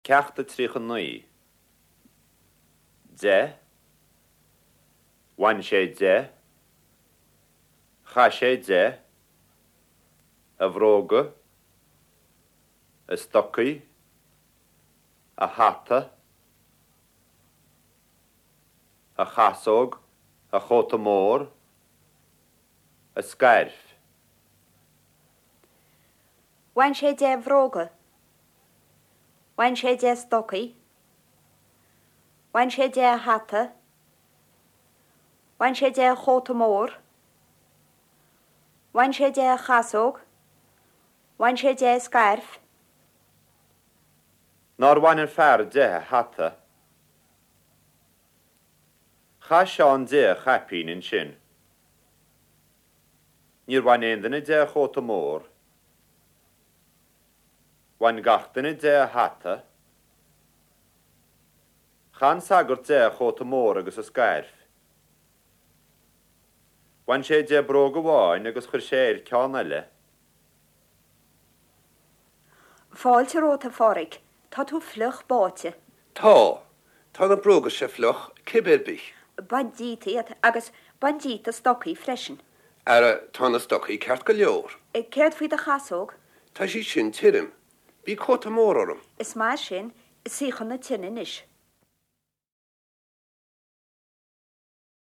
Ceacht 39. De. Bhain sé de. Chaith sé de. A bhróga. A stocaí. A hata. A chasóg. A chóta mór. A scairf. Bhain sé de a bhróga. Bhain sé de a stocaí. Bhain sé de a hata. Bhain sé de a chóta mór. Bhain sé de a chasóg. Bhain sé de a scairf. Nár bhain an fear de a hata? Chaith Seán de a chaipín ansin. Níor bhain aon duine de a chóta mór. Bhain gach duine de a hata. Chaith an sagart de a chóta mór agus a scairf. Bhain sé de bróg amháin agus chuir sé air ceann eile. Fáilte romhat, a Pháraic. Tá tú fliuch báite. Tá. Tá na bróga seo fliuch, cibé ar bith. Bain díot iad agus bain díot do stocaí freisin. Ara, tá na stocaí ceart go leor. Céard faoi do chasóg? Tá sí sin tirim. Bhí cóta mór orm. Is maith sin. Suigh chun na tine anois.